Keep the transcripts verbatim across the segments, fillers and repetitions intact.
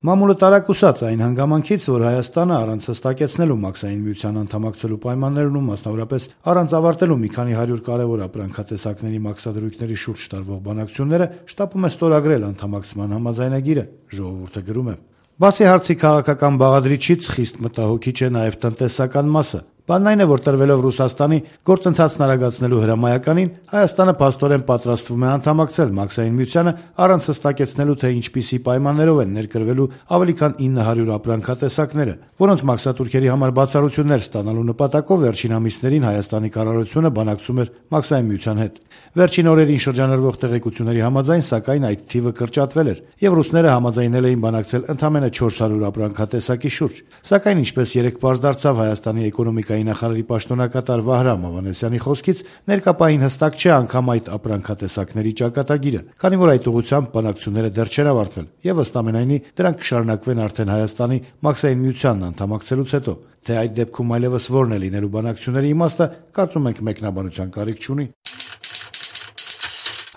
Մամուլը տարակուսած այն հանգամանքից, որ Հայաստանը առանց հստակեցնելու Մաքսային միության անդամակցելու պայմաններն ու մասնավորապես առանց ավարտելու մի քանի հարյուր կարևոր ապրանքատեսակների մաքսադրույքների շուրջ տարվող բանակցությունները շտապում է ստորագրել անդամակցման համաձայնագիրը, ժողովուրդը գրում է։ Բացի հարցի քաղաքական բաղադրիչից խիստ մտահոգիչ է նաև տնտեսական մասը։ Բանն այն է, որ տրվելով Ռուսաստանի գործընթացն արագացնելու հրամայականին, Հայաստանը փաստորեն պատրաստվում է անդամակցել Մաքսային միությանը առանց հստակեցնելու, թե ինչպիսի պայմաններով են ներկրվելու ավելի քան ինը հարյուր ապրանքատեսակները, որոնց մաքսատուրքերի համար բացառություններ ստանալու նպատակով վերջին ամիսներին Հայաստանի կառավարությունը բանակցում էր Մաքսային միության հետ։ Վերջին օրերին շրջանառվող տեղեկությունների համաձայն, սակայն, այդ թիվը կրճատվել էր, եւ ռուսները համաձայնել էին բանակցել ընդամենը չորս հարյուր ապրանքատեսակի շուրջ։ Սակայն, ինչպես երեկ պարզ դարձավ Հայաստանի էկոնոմիկայի նախարարի պաշտոնակատար Վահրամ Ավանեսյանի խոսքից, ներկապային հստակ չէ անգամ այդ ապրանքատեսակների ճակատագիրը, քանի որ այդ ուղղությամբ բանակցությունները դեռ չեն ավարտվել, եւ ըստ ամենայնի դրանք կշարունակվեն արդեն Հայաստանի Մաքսային միությանն անդամակցելուց հետո։ Թե այդ դեպքում այլևս որն է լինելու բանակցությունների իմաստը, կարծում ենք մեկնաբանության կարիք չունի։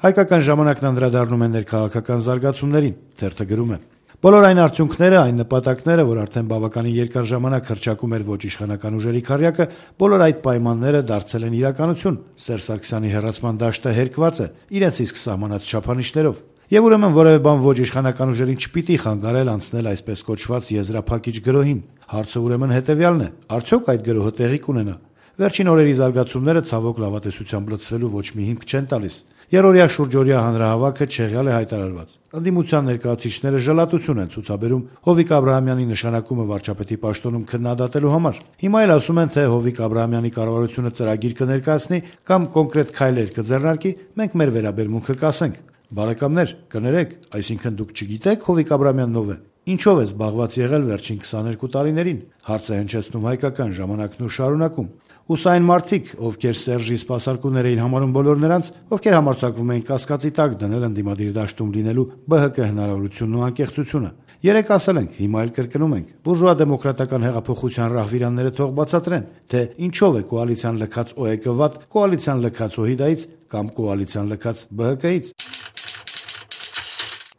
Հայկական ժամանակն անդրադառնում է ներքաղաքական զարգացումներին, թերթը գրում է. Բոլոր այն արդյունքները, այն նպատակները, որ արդեն բավականին երկար ժամանակ հռչակում էր ոչ իշխանական ուժերի քառյակը, բոլոր այդ պայմանները դարձել են իրականություն։ Սերժ Սարգսյանի հեռացման դաշտը հերկված է իրենց իսկ սահմանած չափանիշներով։ Եվ ուրեմն որևէ բան ոչ իշխանական ուժերին չպիտի խանգարել անցնել այսպես կոչված եզրափակիչ գրոհին։ Հարցը ուրեմն հետևյալն է. արդյոք այդ գրոհը տեղի կունենա։ Վերջին օրերի զարգացումները ցավոք լավատեսությամբ լցվելու ոչ մի հիմք չեն տալիս։ Երօրյա շուրջօրյա հանրահավաքը չեղյալ է հայտարարված։ Ընդդիմության ներկայացուցիչները ժլատություն են ցուցաբերում Հովիկ Աբրահամյանի նշանակումը վարչապետի պաշտոնում քննադատելու համար։ Հիմա էլ ասում են, թե Հովիկ Աբրահամյանի կառավարությունը ծրագիր կներկայացնի կամ կոնկրետ քայլեր կձեռնարկի, մենք մեր վերաբերմունքը կասենք։ Բարեկամներ, կներեք, այսինքն դուք չգիտեք Հովիկ Աբրահամյանն ով է։ Ինչով է զբաղված եղել վերջին քսաներկու տարիներին։ Հարց է հնչեցնում հայկական ժամանակն ու շարունակում։ Ուսային մարդիկ, ովքեր Սերժի սպասարկուներ էին համարում բոլոր նրանց, ովքեր համարձակվում էին կասկածի տակ դնել ընդդիմադիր դաշտում լինելու ԲՀԿ հնարավորությունն ու անկեղծությունը։ Երեք ասել ենք, հիմա էլ կրկնում ենք, բուրժուա դեմոկրատական հեղափոխության ռահվիրանները թող բացատրեն, թե ինչով է կոալիցիան լքած ՕԵԿ վատ, կոալիցիան լքած ՀՅԴ-ից կամ կոալիցիան լքած ԲՀԿ-ից։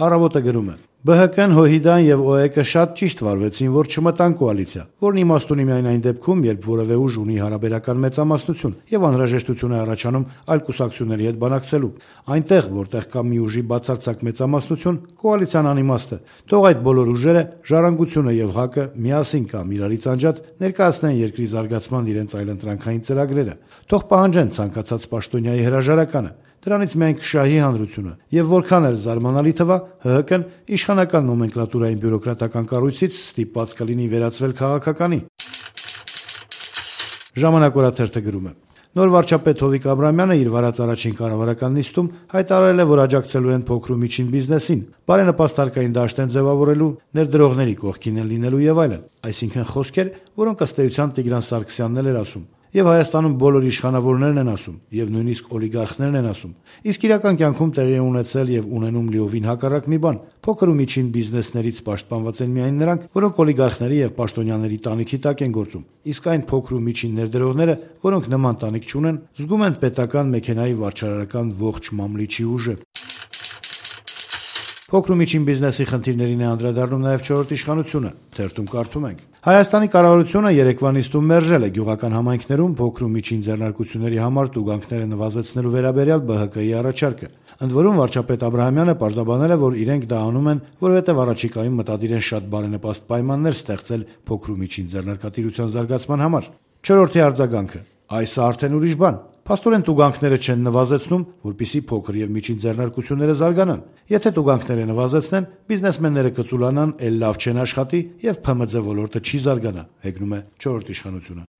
Առավոտը գրում է. ԲՀԿ-ն, ՀՅԴ-ն եւ ՕԵԿ-ը շատ ճիշտ վարվեցին, որ չմտան կոալիցիա, որն իմաստ ունի միայն այն դեպքում, երբ որևէ ուժ ունի հարաբերական մեծամասնություն եւ անհրաժեշտություն է առաջանում այլ կուսակցությունների հետ բանակցելու։ Այնտեղ, որտեղ կա մի ուժի բացարձակ մեծամասնություն, կոալիցիան անիմաստ է։ Թող այդ բոլոր ուժերը, Ժառանգությունը եւ ՀԱԿ-ը միասին կամ իրարից անջատ ներկայացնեն երկրի զարգացման իրենց այլընտրանքային ծրագրերը։ Թող պահանջեն ցանկացած պաշտոնյայի հրաժարականը։ Դրանից միայն կշահի հանրությունը, եւ որքան էլ զարմանալի թվա, ՀՀԿ-ն իշխանական նոմենկլատուրային բյուրոկրատական կառույցից ստիպված կլինի վերածվել քաղաքականի։ Ժամանակ օրաթերթը գրում է. Նոր վարչապետ Հովիկ Աբրահամյանը իր վարած առաջին կառավարական նիստում հայտարարել է, որ աջակցելու են փոքր ու միջին բիզնեսին, բարենպաստ հարկային դաշտ են ձևավորելու, ներդրողների կողքին են լինելու եւ այլն։ Այսինքն խոսքեր, որոնք ըստ էության Տիգրան Սարգսյանն էլ էր ասում։ Եվ Հայաստանում բոլոր իշխանավորներն են ասում, եւ նույնիսկ օլիգարխներն են ասում։ Իսկ իրական կյանքում տեղի է ունեցել եւ ունենում լիովին հակառակ մի բան։ Փոքր ու միջին բիզնեսներից պաշտպանված են միայն նրանք, որոնք օլիգարխների եւ պաշտոնյաների տանիքի տակ են գործում։ Իսկ այն փոքր ու միջին ներդրողները, որոնք նման տանիք չունեն, զգում են պետական մեքենայի վարչարարական ողջ մամլիչի ուժը։ Փոքր ու միջին բիզնեսի խնդիրներին է անդրադառնում նաև չորրորդ իշխանությունը։ Թերթում կարդում ենք. Հայաստանի կառավարությունը երեկվա նիստում մերժել է գյուղական համայնքներում փոքր ու միջին ձեռնարկությունների համար տուգանքները նվազեցնելու վերաբերյալ ԲՀԿ-ի առաջարկը։ Ընդ որում վարչապետ Աբրահամյանը պարզաբանել է, որ իրենք դա անում են, որովհետև առաջիկայում մտադիր են շատ բարենպաստ պայմաններ ստեղծել փոքր ու միջին ձեռնարկատիրության զարգացման համար։ Չորրորդի արձագանքը. այս արդեն ուրիշ բան։ Փաստորեն տուգանքները չեն նվազեցնում, որպեսզի փոքր եւ միջին ձեռնարկությունները զարգանան։ Եթե տուգանքները նվազեցնեն, բիզնեսմենները կծուլանան, ել լավ չեն աշխատի եւ ՓՄՁ ոլորտը չի զարգանա, հեգնում է չորրորդ իշխանությունը։